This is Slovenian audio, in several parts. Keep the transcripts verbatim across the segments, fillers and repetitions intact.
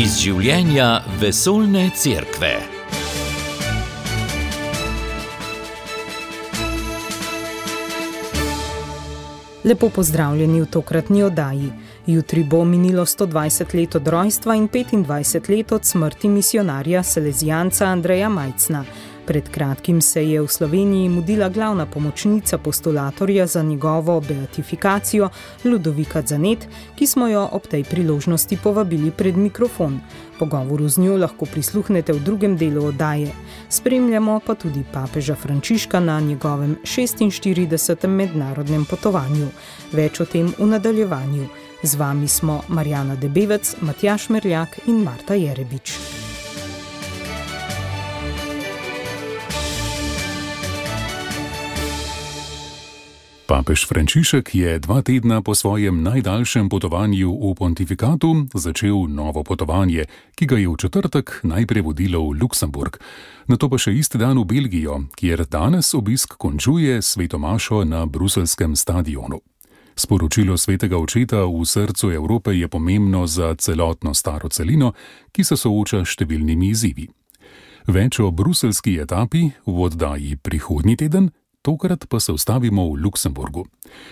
Iz življenja vesoljne cerkve. Lepo pozdravljeni v tokratni oddaji. Jutri bo minilo sto dvajset let od rojstva in petindvajset let od smrti misijonarja salezijanca Andreja Majcna. Pred kratkim se je v Sloveniji mudila glavna pomočnica postulatorja za njegovo beatifikacijo Ludovika Zanet, ki smo jo ob tej priložnosti povabili pred mikrofon. Pogovoru z njo lahko prisluhnete v drugem delu oddaje. Spremljamo pa tudi papeža Frančiška na njegovem šestinštiridesetem mednarodnem potovanju. Več o tem v nadaljevanju. Z vami smo Marjana Debevec, Matjaž Merljak in Marta Jerebič. Papež Frančišek je dva tedna po svojem najdaljšem potovanju v pontifikatu začel novo potovanje, ki ga je v četrtek najprej vodilo v Luksemburg, nato pa še isti dan v Belgijo, kjer danes obisk končuje sveto mašo na bruseljskem stadionu. Sporočilo svetega očeta v srcu Evrope je pomembno za celotno staro celino, ki se sooča s številnimi izzivi. Več o bruseljski etapi v oddaji prihodnji teden, tokrat pa se ustavimo v Luksemburgu.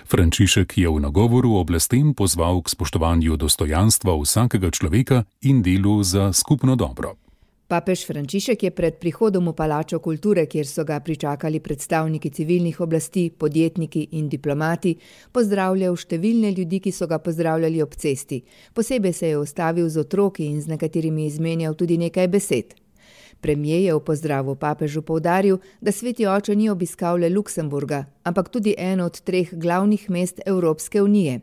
Frančišek je v nagovoru oblastem pozval k spoštovanju dostojanstva vsakega človeka in delu za skupno dobro. Papež Frančišek je pred prihodom v Palačo kulture, kjer so ga pričakali predstavniki civilnih oblasti, podjetniki in diplomati, pozdravljal številne ljudi, ki so ga pozdravljali ob cesti. Posebej se je ustavil z otroki in z nekaterimi izmenjal tudi nekaj besed. Premier je v pozdravu papežu poudaril, da sveti oče ni obiskal le Luksemburga, ampak tudi eno od treh glavnih mest Evropske unije.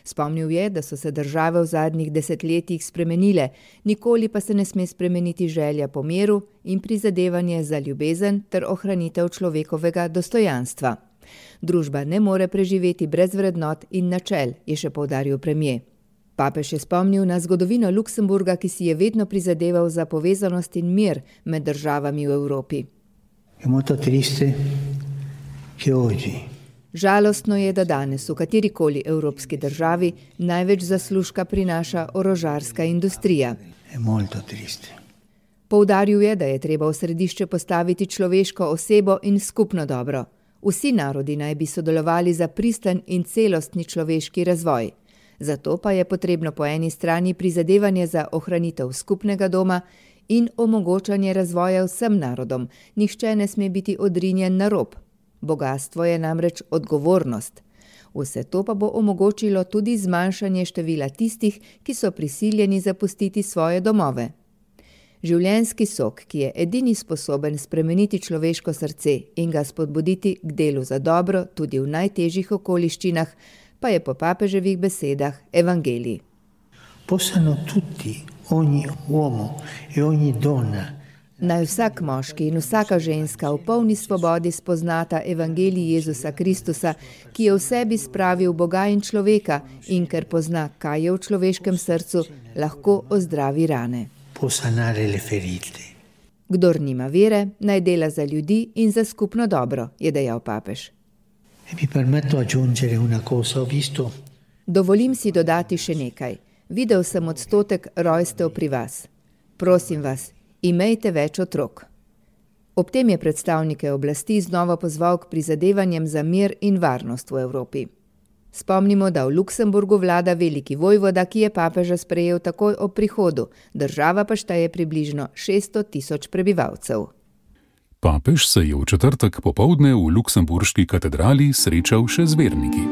Spomnil je, da so se države v zadnjih desetletjih spremenile, nikoli pa se ne sme spremeniti želja po miru in prizadevanje za ljubezen ter ohranitev človekovega dostojanstva. Družba ne more preživeti brez vrednot in načel, je še poudaril premier. Papež je spomnil na zgodovino Luksemburga, ki si je vedno prizadeval za povezanost in mir med državami v Evropi. Žalostno je, da danes v katerikoli evropski državi največ zaslužka prinaša orožarska industrija. Poudaril je, da je treba v središče postaviti človeško osebo in skupno dobro. Vsi narodi naj bi sodelovali za pristen in celostni človeški razvoj. Zato pa je potrebno po eni strani prizadevanje za ohranitev skupnega doma in omogočanje razvoja vsem narodom. Nihče ne sme biti odrinjen na rob. Bogastvo je namreč odgovornost. Vse to pa bo omogočilo tudi zmanjšanje števila tistih, ki so prisiljeni zapustiti svoje domove. Življenjski sok, ki je edini sposoben spremeniti človeško srce in ga spodbuditi k delu za dobro tudi v najtežjih okoliščinah, pa je po papeževih besedah evangelij. Possano tutti, ogni uomo e ogni donna. Naj vsak moški in vsaka ženska v polni svobodi spoznata evangelij Jezusa Kristusa, ki je v sebi spravil Boga in človeka in ker pozna, kaj je v človeškem srcu, lahko ozdravi rane. Posanare le ferite. Kdor nima vere, naj dela za ljudi in za skupno dobro, je dejal papež. E mi permetto aggiungere una cosa, ho visto. Dovolim si dodati še nekaj. Videl sem odstotek rojstev pri vas. Prosim vas, imejte več otrok. Ob tem je predstavnike oblasti znova pozval k prizadevanjem za mir in varnost v Evropi. Spomnimo, da v Luksemburgu vlada veliki vojvoda, ki je papeža sprejel takoj ob prihodu, država pa šteje približno šeststo tisoč prebivalcev. Papež se je v četrtek popoldne v luksemburški katedrali srečal še z verniki.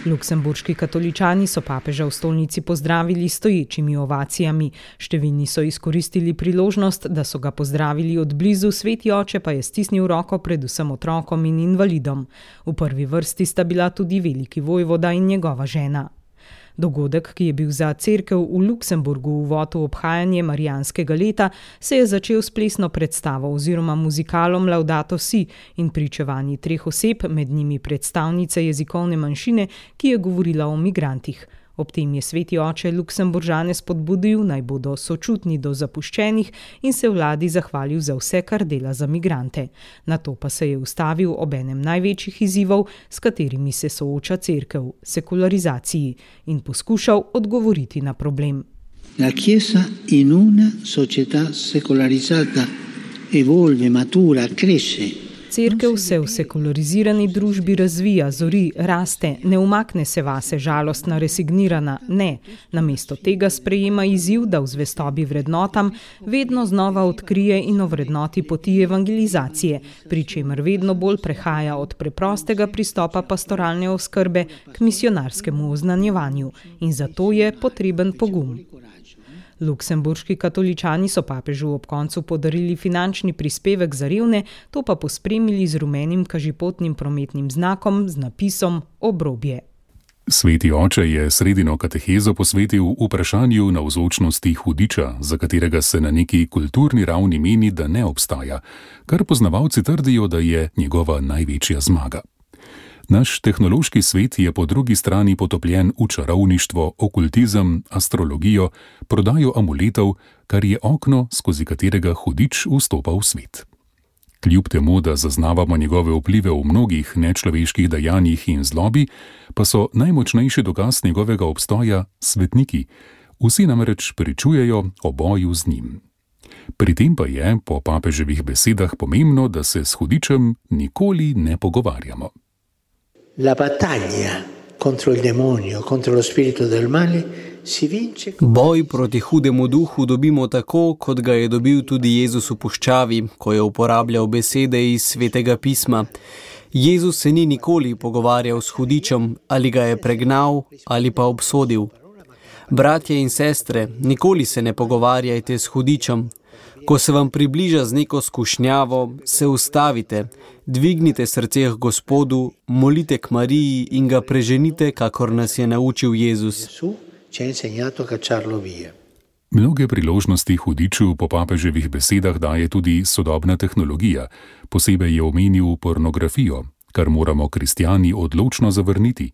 Luksemburški katoličani so papeža v stolnici pozdravili stoječimi ovacijami. Številni so izkoristili priložnost, da so ga pozdravili od blizu, sveti oče pa je stisnil roko predvsem otrokom in invalidom. V prvi vrsti sta bila tudi veliki vojvoda in njegova žena. Dogodek, ki je bil za cerkev v Luksemburgu uvod v obhajanje marijanskega leta, se je začel s plesno predstavo oziroma muzikalom Laudato si in pričevanji treh oseb, med njimi predstavnice jezikovne manjšine, ki je govorila o migrantih. Ob tem je sveti oče Luksemburžane spodbudil, naj bodo sočutni do zapuščenih in se vladi zahvalil za vse, kar dela za migrante. Nato pa se je ustavil ob enem največjih izzivov, s katerimi se sooča cerkev, sekularizaciji, in poskušal odgovoriti na problem. La Chiesa in una società secolarizzata evolve, matura, cresce. Cerkev se v sekularizirani družbi razvija, zori, raste, ne umakne se vase žalostna, resignirana, ne. Namesto tega sprejema izziv, da v zvestobi vrednotam vedno znova odkrije in ovrednoti poti evangelizacije, pri čemer vedno bolj prehaja od preprostega pristopa pastoralne oskrbe k misionarskemu oznanjevanju. In zato je potreben pogum. Luksemburški katoličani so papežu ob koncu podarili finančni prispevek za revne, to pa pospremili z rumenim kažipotnim prometnim znakom z napisom Obrobje. Sveti oče je sredino katehezo posvetil vprašanju navzočnosti hudiča, za katerega se na neki kulturni ravni meni, da ne obstaja, kar poznavalci trdijo, da je njegova največja zmaga. Naš tehnološki svet je po drugi strani potopljen v čarovništvo, okultizem, astrologijo, prodajo amuletov, kar je okno, skozi katerega hudič vstopa v svet. Kljub temu, da zaznavamo njegove vplive v mnogih nečloveških dejanjih in zlobi, pa so najmočnejši dokaz njegovega obstoja svetniki. Vsi namreč pričujejo o boju z njim. Pri tem pa je, po papeževih besedah, pomembno, da se s hudičem nikoli ne pogovarjamo. La battaglia contro il demonio, contro lo spirito del male si vince. Boj proti hudemu duhu dobimo tako, kot ga je dobil tudi Jezus v puščavi, ko je uporabljal besede iz Svetega pisma. Jezus se ni nikoli pogovarjal s hudičem, ali ga je pregnal ali pa obsodil. Bratje in sestre, nikoli se ne pogovarjajte s hudičem. Ko se vam približa z neko skušnjavo, se ustavite, dvignite srce k Gospodu, molite k Mariji in ga preženite, kakor nas je naučil Jezus. Mnoge priložnosti hudiču po papeževih besedah daje tudi sodobna tehnologija, posebej je omenil pornografijo, kar moramo kristjani odločno zavrniti.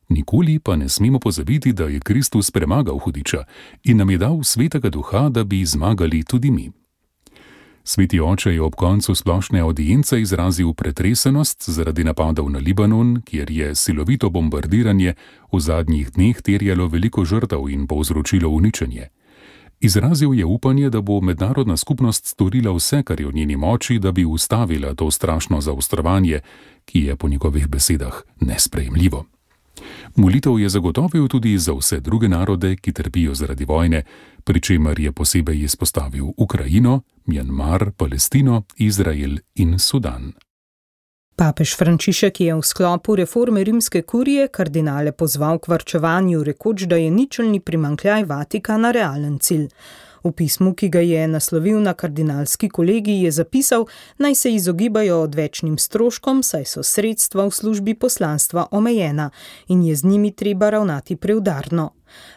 Nikoli pa ne smemo pozabiti, da je Kristus premagal hudiča in nam je dal svetega duha, da bi zmagali tudi mi. Sveti oče je ob koncu splošne audience izrazil pretresenost zaradi napadov na Libanon, kjer je silovito bombardiranje v zadnjih dneh terjalo veliko žrtev in povzročilo uničenje. Izrazil je upanje, da bo mednarodna skupnost storila vse, kar je v njeni moči, da bi ustavila to strašno zaostrovanje, ki je po njegovih besedah nesprejemljivo. Molitev je zagotovil tudi za vse druge narode, ki trpijo zaradi vojne, pri čemer je posebej izpostavil Ukrajino, Mjanmar, Palestino, Izrael in Sudan. Papež Frančišek je v sklopu reforme rimske kurije kardinale pozval k varčevanju, rekoč, da je ničelni primanjkljaj Vatikana realen cilj. V pismu, ki ga je naslovil na kardinalski kolegij, je zapisal, naj se izogibajo odvečnim stroškom, saj so sredstva v službi poslanstva omejena in je z njimi treba ravnati preudarno.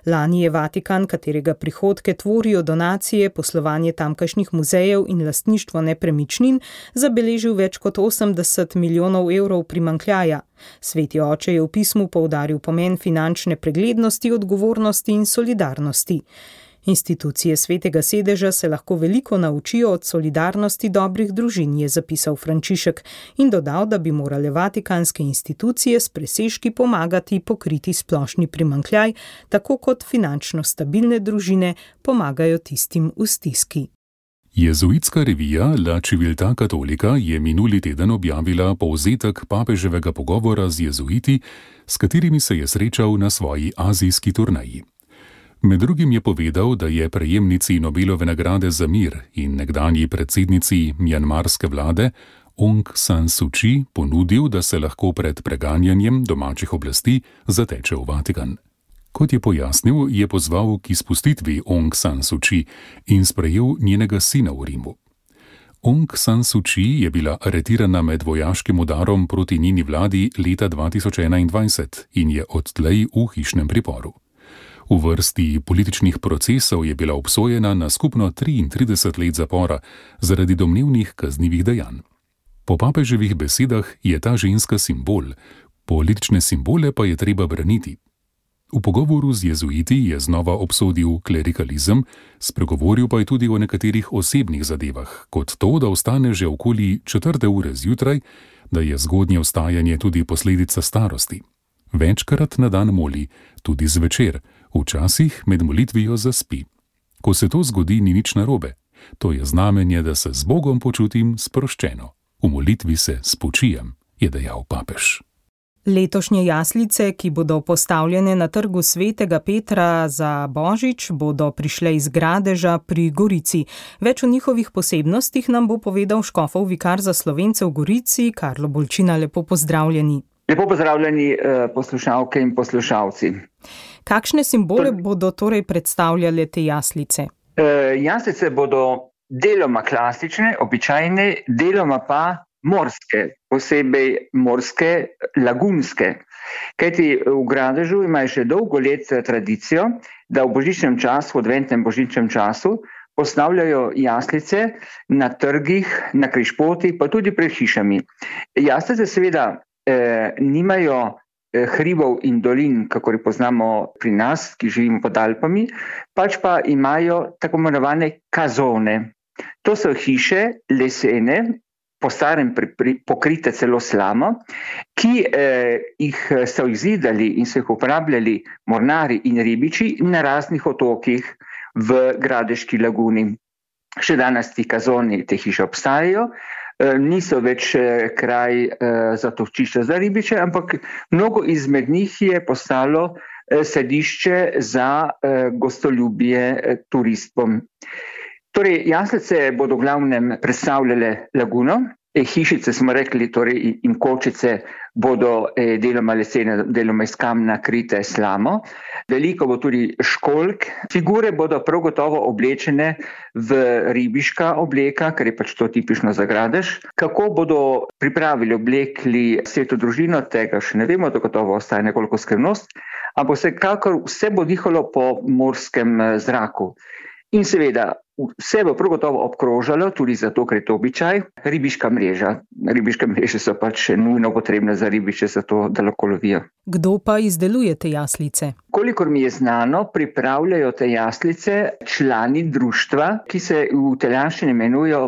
Lani je Vatikan, katerega prihodke tvorijo donacije, poslovanje tamkajšnjih muzejev in lastništvo nepremičnin, zabeležil več kot osemdeset milijonov evrov primanjkljaja. Sveti oče je v pismu poudaril pomen finančne preglednosti, odgovornosti in solidarnosti. Institucije Svetega sedeža se lahko veliko naučijo od solidarnosti dobrih družin, je zapisal Frančišek in dodal, da bi morale vatikanske institucije s presežki pomagati pokriti splošni primanjkljaj, tako kot finančno stabilne družine pomagajo tistim v stiski. Jezuitska revija La Civiltà Cattolica je minuli teden objavila povzetek papeževega pogovora z jezuiti, s katerimi se je srečal na svoji azijski turneji. Med drugim je povedal, da je prejemnici Nobelove nagrade za mir in nekdanji predsednici mjanmarske vlade Aung San Suu Kyi ponudil, da se lahko pred preganjanjem domačih oblasti zateče v Vatikan. Kot je pojasnil, je pozval k izpustitvi Aung San Suu Kyi in sprejel njenega sina v Rimu. Aung San Suu Kyi je bila aretirana med vojaškim udarom proti njeni vladi leta dva tisoč enaindvajset in je odtlej v hišnem priporu. V vrsti političnih procesov je bila obsojena na skupno triintrideset let zapora zaradi domnevnih kaznivih dejanj. Po papeževih besedah je ta ženska simbol, politične simbole pa je treba braniti. V pogovoru z jezuiti je znova obsodil klerikalizem, spregovoril pa je tudi o nekaterih osebnih zadevah, kot to, da vstane že okoli četrte ure zjutraj, da je zgodnje vstajanje tudi posledica starosti. Večkrat na dan moli, tudi zvečer, včasih med molitvijo zaspi. Ko se to zgodi, ni nič narobe. To je znamenje, da se z Bogom počutim sproščeno. V molitvi se spočijem, je dejal papež. Letošnje jaslice, ki bodo postavljene na trgu Svetega Petra za Božič, bodo prišle iz Gradeža pri Gorici. Več o njihovih posebnostih nam bo povedal škofov vikar za Slovence v Gorici, Karlo Bolčina. Lepo pozdravljeni. Lepo pozdravljeni poslušalke in poslušalci. Kakšne simbole bodo torej predstavljale te jaslice? Jaslice bodo deloma klasične, običajne, deloma pa morske, posebej morske, lagunske. Kajti v Gradežu imajo še dolgo let tradicijo, da v božičnem času, v adventnem božičnem času, postavljajo jaslice na trgih, na križpotih, pa tudi pred hišami. Jaslice seveda eh, nimajo eh, hribov in dolin, kako jih poznamo pri nas, ki živimo pod Alpami, pač pa imajo tako imenovane kazone. To so hiše lesene, po starem pokrite celo slamo, ki eh, jih so izidali in so jih uporabljali mornari in ribiči na raznih otokih v Gradeški laguni. Še danes ti kazoni, te hiše obstajajo, eh, niso več eh, kraj eh, zatočišča za ribiče, ampak mnogo izmed njih je postalo eh, sedišče za eh, gostoljubje eh, turistov. Torej, jaslice bodo v glavnem predstavljale laguno, e, hišice smo rekli, torej in kočice bodo e, deloma lesene, deloma iz kamna krite slamo. Veliko bo tudi školjk. Figure bodo prav gotovo oblečene v ribiška obleka, ker je pač to tipično za Gradež. Kako bodo pripravili, oblekli sveto družino, tega še ne vemo, to gotovo ostaje nekoliko skrivnost, ampak vsekakor vse bo dihalo po morskem zraku. In seveda, vse bo prav gotovo obkrožalo, tudi zato, ker je to običaj, ribiška mreža. Ribiške mreže so pač nujno potrebne za ribiče, zato da lahko lovijo. Kdo pa izdeluje te jaslice? Kolikor mi je znano, pripravljajo te jaslice člani društva, ki se v italijanščini imenujejo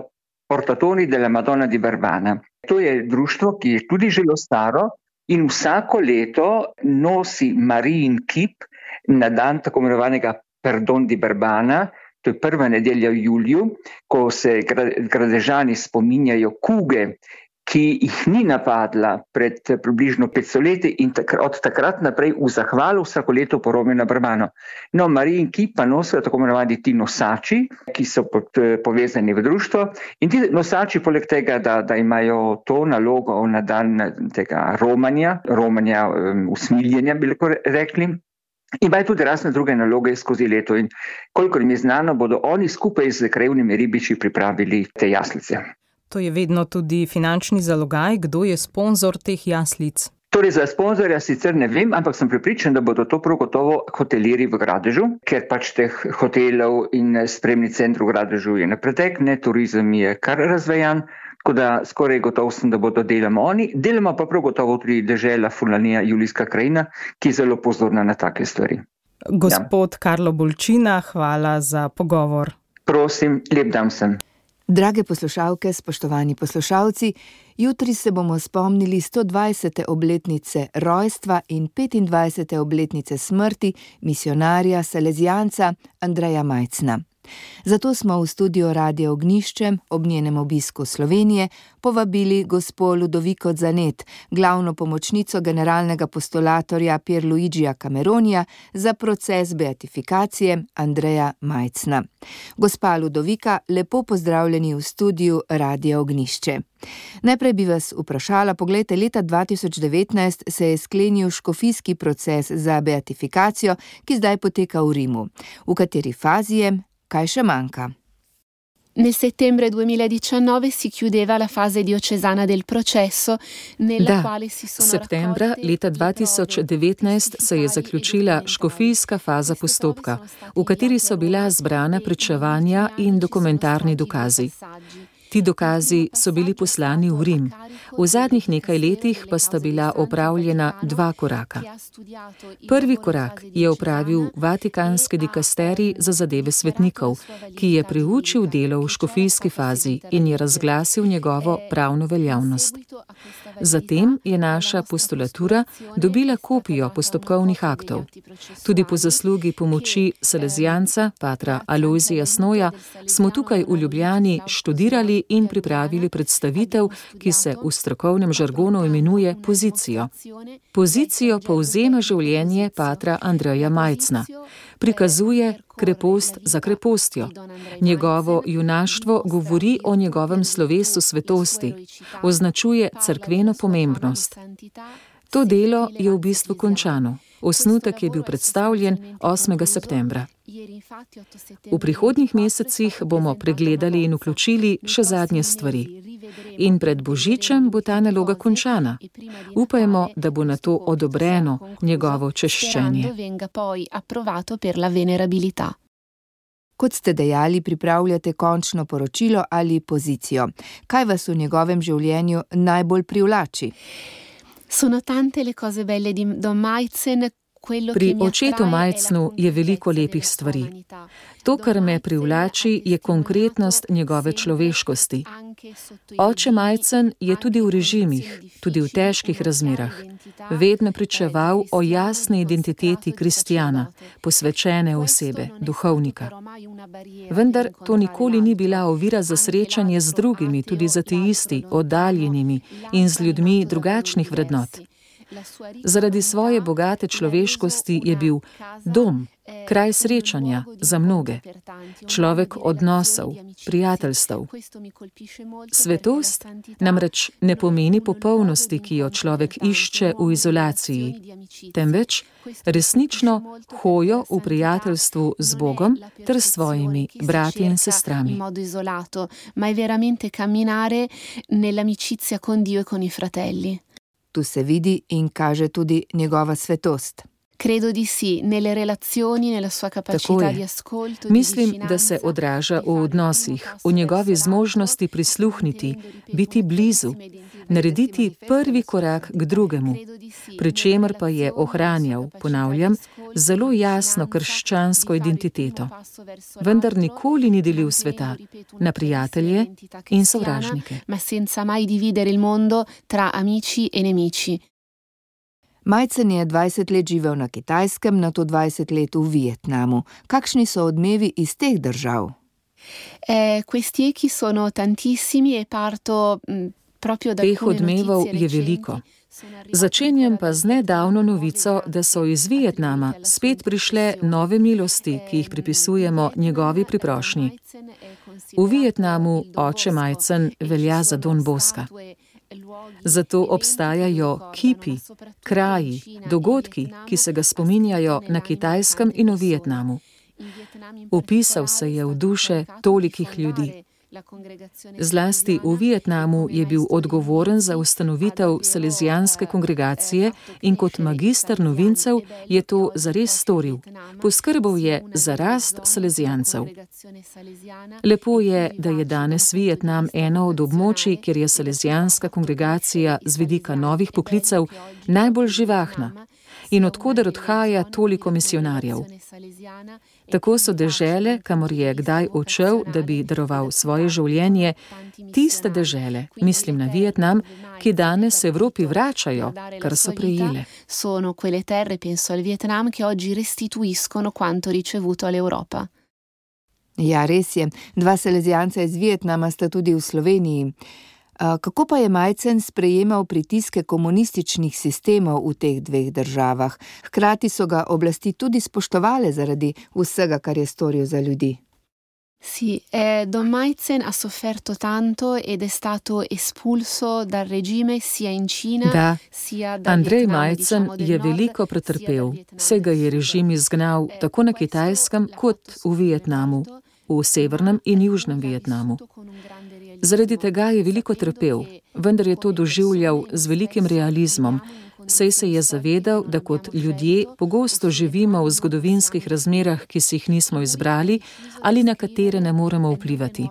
Portatori della Madonna di Barbana. To je društvo, ki je tudi zelo staro in vsako leto nosi Marijin kip na dan tako imenovanega Perdon di Barbana. To je prva nedelja v juliju, ko se Gradežani spominjajo kuge, ki jih ni napadla pred približno petsto leti in od takrat naprej v zahvalu vsako leto porobijo na Barbano. No, Marijin kip pa nosijo tako imenovani ti nosači, ki so povezani v društvo. In ti nosači, poleg tega, da, da imajo to nalogo na dan tega romanja, romanja um, usmiljenja, bi lahko rekli, imajo tudi razne druge naloge skozi leto in kolikor mi je znano, bodo oni skupaj z krajevnimi ribiči pripravili te jaslice. To je vedno tudi finančni zalogaj. Kdo je sponzor teh jaslic? Torej za sponzorja sicer ne vem, ampak sem prepričan, da bodo to prav gotovo hotelirji v Gradežu, ker pač teh hotelov in spremni centrov v Gradežu je na pretek, ne, turizem je kar razvejan. Tako da skoraj gotovo sem, da bodo deloma oni, deloma pa prav gotovo tudi dežela Furlanija, Julijska krajina, ki je zelo pozorna na take stvari. Gospod ja. Karlo Bolčina, hvala za pogovor. Prosim, lep dan sem. Drage poslušalke, spoštovani poslušalci, jutri se bomo spomnili sto dvajsete obletnice rojstva in petindvajsete obletnice smrti misionarja salezijanca Andreja Majcna. Zato smo v studio Radia Ognjišče ob njenem obisku Slovenije povabili gospo Ludoviko Zanet, glavno pomočnico generalnega postulatorja Pierluigija Cameronija za proces beatifikacije Andreja Majcna. Gospa Ludovika, lepo pozdravljeni v studiu Radia Ognjišče. Najprej bi vas vprašala, poglejte, leta dva tisoč devetnajst se je sklenil škofijski proces za beatifikacijo, ki zdaj poteka v Rimu. V kateri fazi je? Kaj še manjka? Nel settembre duemiladiciannove si chiudeva la fase diocesana del processo, nella da, quale si sono septembra leta dva tisoč devetnajst se je zaključila škofijska faza postopka, v kateri so bila zbrana pričevanja in dokumentarni dokazi. Ti dokazi so bili poslani v Rim. V zadnjih nekaj letih pa sta bila opravljena dva koraka. Prvi korak je opravil Vatikanski dikasterij za zadeve svetnikov, ki je priučil delo v škofijski fazi in je razglasil njegovo pravno veljavnost. Zatem je naša postulatura dobila kopijo postopkovnih aktov. Tudi po zaslugi pomoči salezijanca, patra Alojzija Snoja, smo tukaj v Ljubljani študirali in pripravili predstavitev, ki se v strokovnem žargonu imenuje pozicijo. Pozicijo povzema življenje patra Andreja Majcna. Prikazuje krepost za krepostjo. Njegovo junaštvo govori o njegovem slovesu svetosti, označuje cerkveno pomembnost. To delo je v bistvu končano. Osnutek je bil predstavljen osmega septembra. V prihodnjih mesecih bomo pregledali in vključili še zadnje stvari. In pred Božičem bo ta naloga končana. Upajmo, da bo na to odobreno njegovo češčenje. Kot ste dejali, pripravljate končno poročilo ali pozicijo. Kaj vas v njegovem življenju najbolj privlači? Sono tante le cose belle di Don Majcen. Pri očetu Majcnu je veliko lepih stvari. To, kar me privlači, je konkretnost njegove človeškosti. Oče Majcen je tudi v režimih, tudi v težkih razmerah, vedno pričeval o jasni identiteti kristjana, posvečene osebe, duhovnika. Vendar to nikoli ni bila ovira za srečanje z drugimi, tudi z ateisti, oddaljenimi in z ljudmi drugačnih vrednot. Zaradi svoje bogate človeškosti je bil dom, kraj srečanja za mnoge, človek odnosov, prijateljstev. Svetost namreč ne pomeni popolnosti, ki jo človek išče v izolaciji, temveč resnično hojo v prijateljstvu z Bogom ter s svojimi brati in sestrami. Tu se vidi in kaže tudi njegova svetost. Credo di sì, nelle relazioni, nella sua capacità di ascolto, di Mislim, da se odraža v odnosih, v njegovi zmožnosti prisluhniti, biti blizu, narediti prvi korak k drugemu, pri čemer pa je ohranjal, ponavljam, zelo jasno krščansko identiteto. Vendar nikoli ni delil sveta na prijatelje in sovražnike. Ma senza mai dividere il mondo tra amici e nemici. Majcen je dvajset let živel na Kitajskem, nato dvajset let v Vietnamu. Kakšni so odmevi iz teh držav? Eh, questi echi sono tantissimi e parto mh, proprio da Teh odmevov je veliko. Začenjam pa z nedavno novico, da so iz Vietnama spet prišle nove milosti, ki jih pripisujemo njegovi priprošnji. V Vietnamu oče Majcen velja za Don Boska. Zato obstajajo kipi, kraji, dogodki, ki se ga spominjajo na Kitajskem in v Vietnamu. Vpisal se je v duše tolikih ljudi. Zlasti v Vietnamu je bil odgovoren za ustanovitev salezijanske kongregacije in kot magister novincev je to zares storil. Poskrbel je za rast salezijancev. Lepo je, da je danes Vietnam eno od območij, kjer je salezijanska kongregacija z vidika novih poklicev najbolj živahna in odkoder odhaja toliko misionarjev. Tako so dežele, kamor je kdaj odšel, da bi daroval svoje življenje, tiste dežele, mislim na Vietnam, ki danes Evropi vračajo, kar so prejele. Sono quelle terre, penso al Vietnam, che oggi restituiscono quanto ricevuto all'Europa. Ja, res je. Dva salezijanca iz Vietnama sta tudi v Sloveniji. Kako pa je Majcen sprejemal pritiske komunističnih sistemov v teh dveh državah? Hkrati so ga oblasti tudi spoštovale zaradi vsega, kar je storil za ljudi. Sì, eh, Don Majcen ha sofferto tanto ed è stato espulso dal regime sia in Cina, da, sia da Andrej Vietnam, Majcen diciamo, del je nord, veliko pretrpel, saj ga je režim izgnal tako na Kitajskem kot v Vietnamu, v severnem in južnem Vietnamu. Zaradi tega je veliko trpel, vendar je to doživljal z velikim realizmom, saj se je zavedal, da kot ljudje pogosto živimo v zgodovinskih razmerah, ki si jih nismo izbrali ali na katere ne moremo vplivati.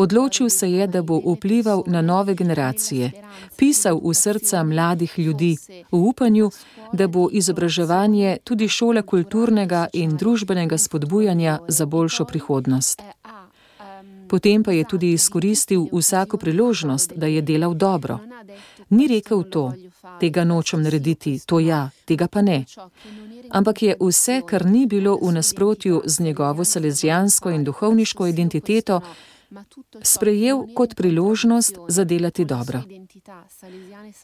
Odločil se je, da bo vplival na nove generacije, pisal v srca mladih ljudi, v upanju, da bo izobraževanje tudi šola kulturnega in družbenega spodbujanja za boljšo prihodnost. Potem pa je tudi izkoristil vsako priložnost, da je delal dobro. Ni rekel to, tega nočem narediti, to ja, tega pa ne. Ampak je vse, kar ni bilo v nasprotju z njegovo salezijansko in duhovniško identiteto, sprejel kot priložnost za delati dobro.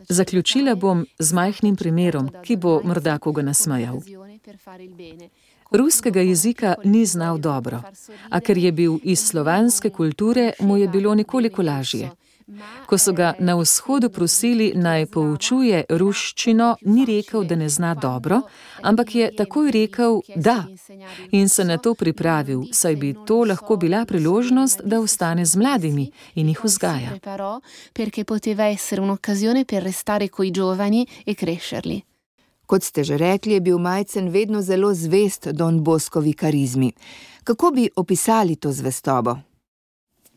Zaključila bom z majhnim primerom, ki bo morda koga nasmejal. Ruskega jezika ni znal dobro, a ker je bil iz slovanske kulture, mu je bilo nekoliko lažje. Ko so ga na vzhodu prosili, naj poučuje ruščino, ni rekel, da ne zna dobro, ampak je takoj rekel da in se na to pripravil, saj bi to lahko bila priložnost, da ostane z mladimi in jih vzgaja. Kot ste že rekli, je bil Majcen vedno zelo zvest Don Boscovi karizmi. Kako bi opisali to zvestobo?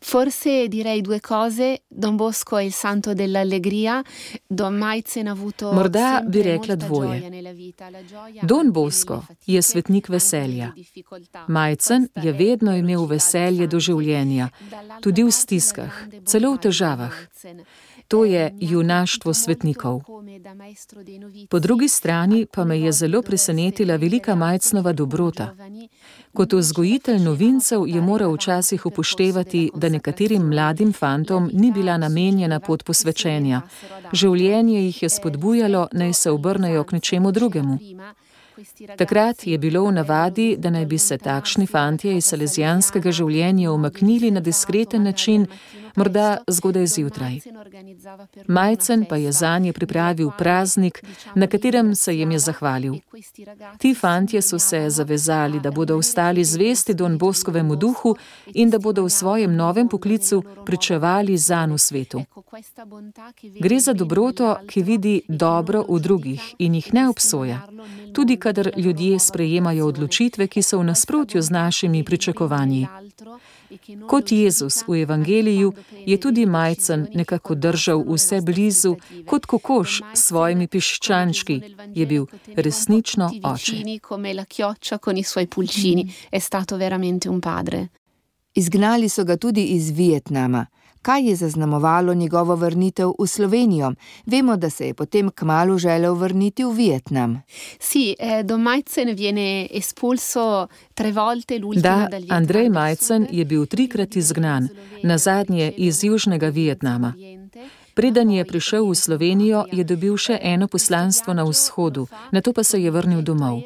Forse direi due cose. Don Bosco è il santo dell'allegria. Don Majcen ha avuto Morda bi rekla dvoje. Don Bosco je svetnik veselja. Majcen je vedno imel veselje do življenja, tudi v stiskah, celo v težavah. To je junaštvo svetnikov. Po drugi strani pa me je zelo presenetila velika Majcnova dobrota. Kot vzgojitelj novincev je moral včasih upoštevati, da nekaterim mladim fantom ni bila namenjena pot posvečenja. Življenje jih je spodbujalo, naj se obrnejo k nečemu drugemu. Takrat je bilo v navadi, da naj bi se takšni fantje iz salezijanskega življenja umaknili na diskreten način, morda zgodaj zjutraj. Majcen pa je zanje pripravil praznik, na katerem se jim je zahvalil. Ti fantje so se zavezali, da bodo ostali zvesti Don Boscovemu duhu in da bodo v svojem novem poklicu pričevali zanj v svetu. Gre za dobroto, ki vidi dobro v drugih in jih ne obsoja, tudi kadar ljudje sprejemajo odločitve, ki so v nasprotju z našimi pričakovanji. Kot Jezus v evangeliju je tudi Majcen nekako držal vse blizu, kot kokoš s svojimi piščančki, je bil resnično oče. Izgnali so ga tudi iz Vietnama. Kaj je zaznamovalo njegovo vrnitev v Slovenijo? Vemo, da se je potem kmalu želel vrniti v Vietnam. Da, Andrej Majcen je bil trikrat izgnan, nazadnje iz Južnega Vietnama. Preden je prišel v Slovenijo, je dobil še eno poslanstvo na vzhodu, nato pa se je vrnil domov.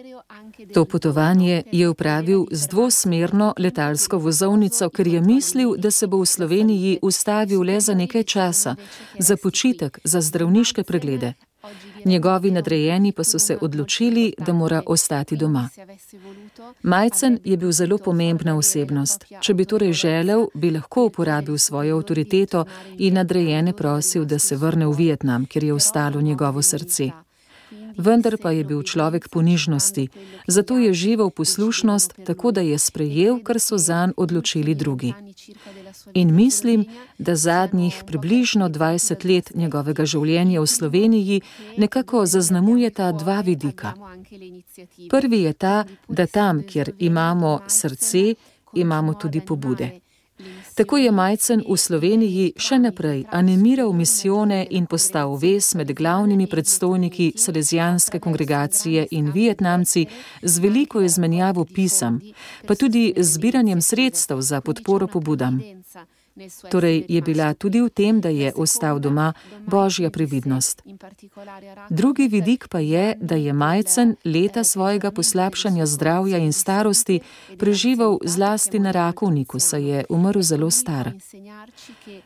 To potovanje je opravil z dvosmerno letalsko vozovnico, ker je mislil, da se bo v Sloveniji ustavil le za nekaj časa, za počitek, za zdravniške preglede. Njegovi nadrejeni pa so se odločili, da mora ostati doma. Majcen je bil zelo pomembna osebnost. Če bi torej želel, bi lahko uporabil svojo avtoriteto in nadrejene prosil, da se vrne v Vietnam, kjer je ostalo njegovo srce. Vendar pa je bil človek ponižnosti, zato je živel poslušnost, tako da je sprejel, kar so zanj odločili drugi. In mislim, da zadnjih približno dvajset let njegovega življenja v Sloveniji nekako zaznamujeta dva vidika. Prvi je ta, da tam, kjer imamo srce, imamo tudi pobude. Tako je Majcen v Sloveniji še naprej animiral misijone in postal vez med glavnimi predstojniki salezijanske kongregacije in Vietnamci z veliko izmenjavo pisem, pa tudi zbiranjem sredstev za podporo pobudam. Torej je bila tudi v tem, da je ostal doma, božja previdnost. Drugi vidik pa je, da je Majcen leta svojega poslabšanja zdravja in starosti preživel zlasti na rakovniku, saj je umrl zelo star.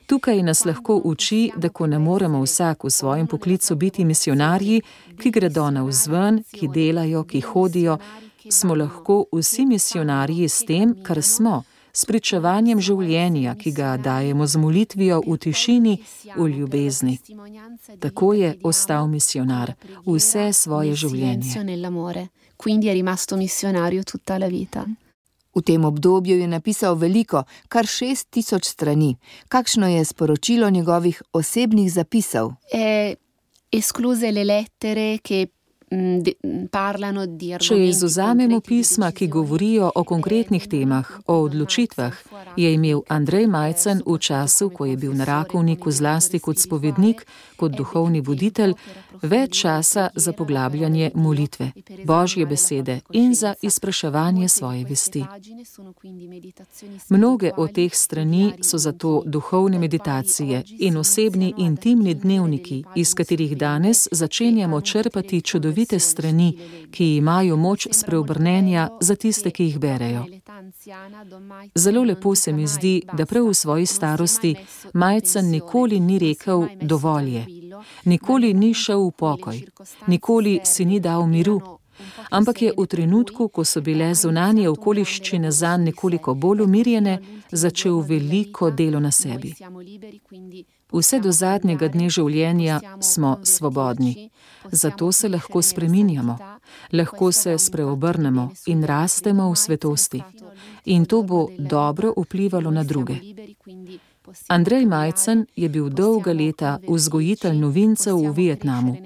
Tukaj nas lahko uči, da ko ne moremo vsak v svojem poklicu biti misionarji, ki gredo navzven, ki delajo, ki hodijo, smo lahko vsi misionarji s tem, kar smo, s pričevanjem življenja, ki ga dajemo z molitvijo v tišini, v ljubezni. Tako je ostal misionar vse svoje življenje. V tem obdobju je napisal veliko, kar šest tisoč strani. Kakšno je sporočilo njegovih osebnih zapisov? E, escluse le lettere, ki Če izvzamemo pisma, ki govorijo o konkretnih temah, o odločitvah, je imel Andrej Majcen v času, ko je bil na Rakovniku zlasti kot spovednik, kot duhovni voditelj, več časa za poglabljanje molitve, Božje besede in za izpraševanje svoje vesti. Mnoge od teh strani so zato duhovne meditacije in osebni intimni dnevniki, iz katerih danes začenjamo črpati čudovite strani, ki imajo moč spreobrnenja za tiste, ki jih berejo. Zelo lepo se mi zdi, da prav v svoji starosti Majcen nikoli ni rekel dovolj je, nikoli ni šel v pokoj, nikoli si ni dal miru, ampak je v trenutku, ko so bile zunanje okoliščine zanj nekoliko bolj umirjene, začel veliko delo na sebi. Vse do zadnjega dne življenja smo svobodni, zato se lahko spreminjamo, lahko se spreobrnemo in rastemo v svetosti. In to bo dobro vplivalo na druge. Andrej Majcen je bil dolga leta vzgojitelj novincev v Vietnamu,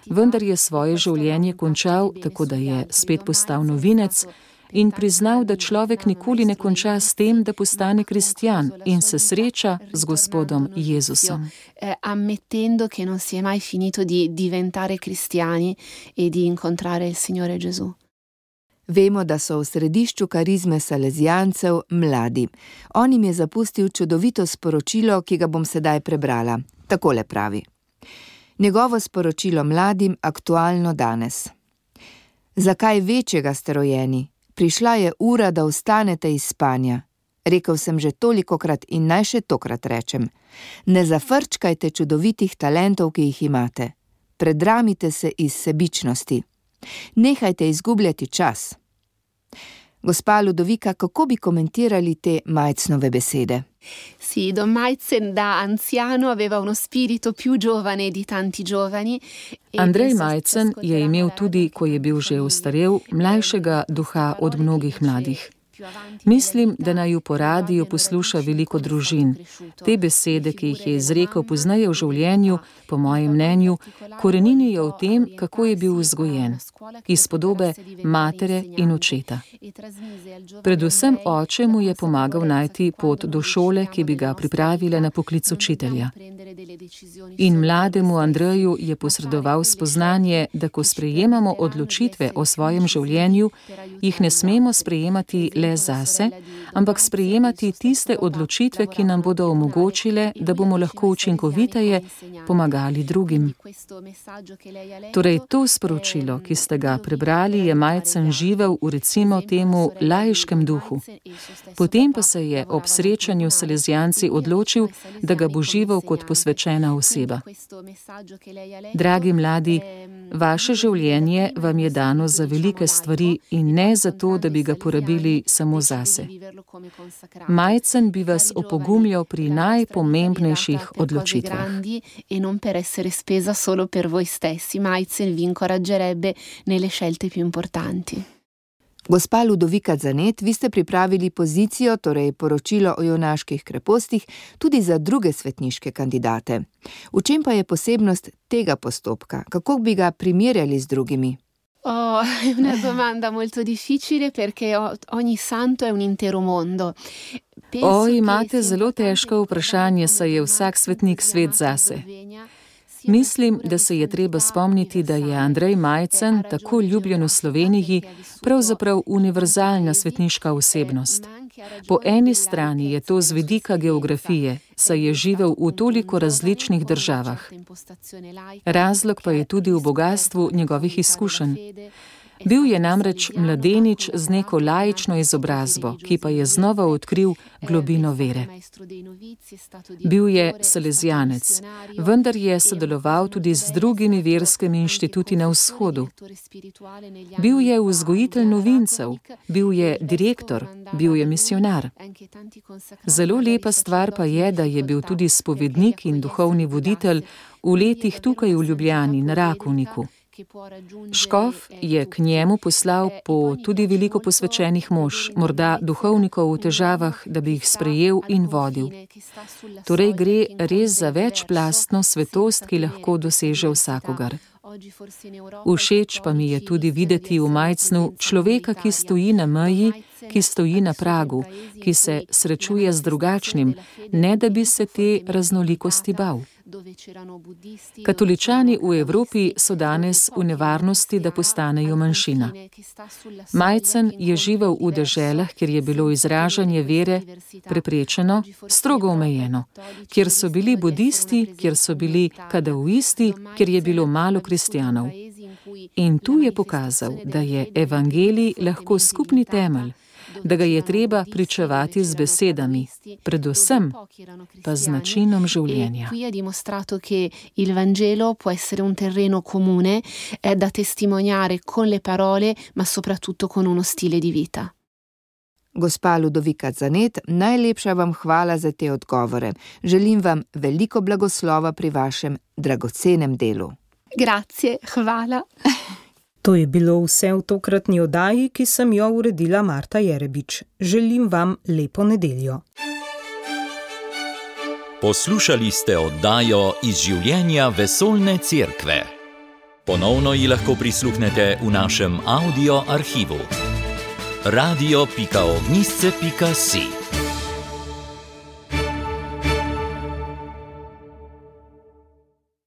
vendar je svoje življenje končal, tako da je spet postal novinec in priznal, da človek nikoli ne konča s tem, da postane kristjan in se sreča z Gospodom Jezusom. Ammettendo che non si è mai finito di diventare cristiani e di incontrare il Signore Gesù. Vemo, da so v središču karizme salezijancev mladi. On jim je zapustil čudovito sporočilo, ki ga bom sedaj prebrala. Takole pravi. Njegovo sporočilo mladim aktualno danes. Zakaj večjega ste rojeni? Prišla je ura, da vstanete iz spanja. Rekel sem že tolikokrat in naj še tokrat rečem. Ne zafrčkajte čudovitih talentov, ki jih imate. Predramite se iz sebičnosti. Nehajte izgubljati čas. Gospa Ludovika, kako bi komentirali te Majcnove besede? Sì, Don Majcen da anziano aveva uno spirito più giovane di tanti giovani. Andrej Majcen je imel tudi, ko je bil že ostarel, mlajšega duha od mnogih mladih. Mislim, da naju po radiju posluša veliko družin. Te besede, ki jih je izrekel pozneje v življenju, po mojem mnenju, koreninijo v tem, kako je bil vzgojen, iz podobe matere in očeta. Predvsem oče mu je pomagal najti pot do šole, ki bi ga pripravila na poklic učitelja. In mlademu Andreju je posredoval spoznanje, da ko sprejemamo odločitve o svojem življenju, jih ne smemo sprejemati le zase, ampak sprejemati tiste odločitve, ki nam bodo omogočile, da bomo lahko učinkoviteje pomagali drugim. Torej, to sporočilo, ki ste ga prebrali, je Majcen živel v recimo temu laiškem duhu. Potem pa se je ob srečanju s salezijanci odločil, da ga bo živel kot posvečena oseba. Dragi mladi, vaše življenje vam je dano za velike stvari in ne za to, da bi ga porabili samo zase. Majcen bi vas opogumljal pri najpomembnejših odločitvah. E non per essere spesa solo per voi stessi. Majcen vi incoraggerebbe nelle scelte più importanti. Gospa Ludovika Zanet, vi ste pripravili pozicijo, torej poročilo o junaških krepostih, tudi za druge svetniške kandidate. V čem pa je posebnost tega postopka? Kako bi ga primerjali z drugimi? Oh, è una domanda molto difficile perché ogni santo è un intero mondo. O, imate zelo težko vprašanje, saj je vsak svetnik svet zase. Mislim, da se je treba spomniti, da je Andrej Majcen, tako ljubljen v Sloveniji, pravzaprav univerzalna svetniška osebnost. Po eni strani je to z vidika geografije, saj je živel v toliko različnih državah. Razlog pa je tudi v bogastvu njegovih izkušenj. Bil je namreč mladenič z neko laično izobrazbo, ki pa je znova odkril globino vere. Bil je salezijanec, vendar je sodeloval tudi z drugimi verskimi inštituti na vzhodu. Bil je vzgojitelj novincev, bil je direktor, bil je misionar. Zelo lepa stvar pa je, da je bil tudi spovednik in duhovni voditelj v letih tukaj v Ljubljani na Rakovniku. Škof je k njemu poslal po tudi veliko posvečenih mož, morda duhovnikov v težavah, da bi jih sprejel in vodil. Torej gre res za večplastno svetost, ki lahko doseže vsakogar. Všeč pa mi je tudi videti v Majcnu človeka, ki stoji na meji, ki stoji na pragu, ki se srečuje z drugačnim, ne da bi se te raznolikosti bal. Katoličani v Evropi so danes v nevarnosti, da postanejo manjšina. Majcen je živel v deželah, kjer je bilo izražanje vere preprečeno, strogo omejeno, kjer so bili budisti, kjer so bili kadauisti, kjer je bilo malo kristjanov. In tu je pokazal, da je evangelij lahko skupni temelj, da ga je treba pričevati z besedami, predvsem pa z načinom življenja. Qui ha dimostrato che il Vangelo può essere un terreno comune da testimoniare con le parole, ma soprattutto con uno stile di vita. Gospa Ludovika Zanet, najlepša vam hvala za te odgovore. Želim vam veliko blagoslova pri vašem dragocenem delu. Grazie, hvala. To je bilo vse v tokratni oddaji, ki sem jo uredila Marta Jerebič. Želim vam lepo nedeljo. Poslušali ste oddajo Iz življenja vesoljne cerkve. Ponovno ji lahko prisluhnete v našem audio arhivu. radio pika ognjišče pika si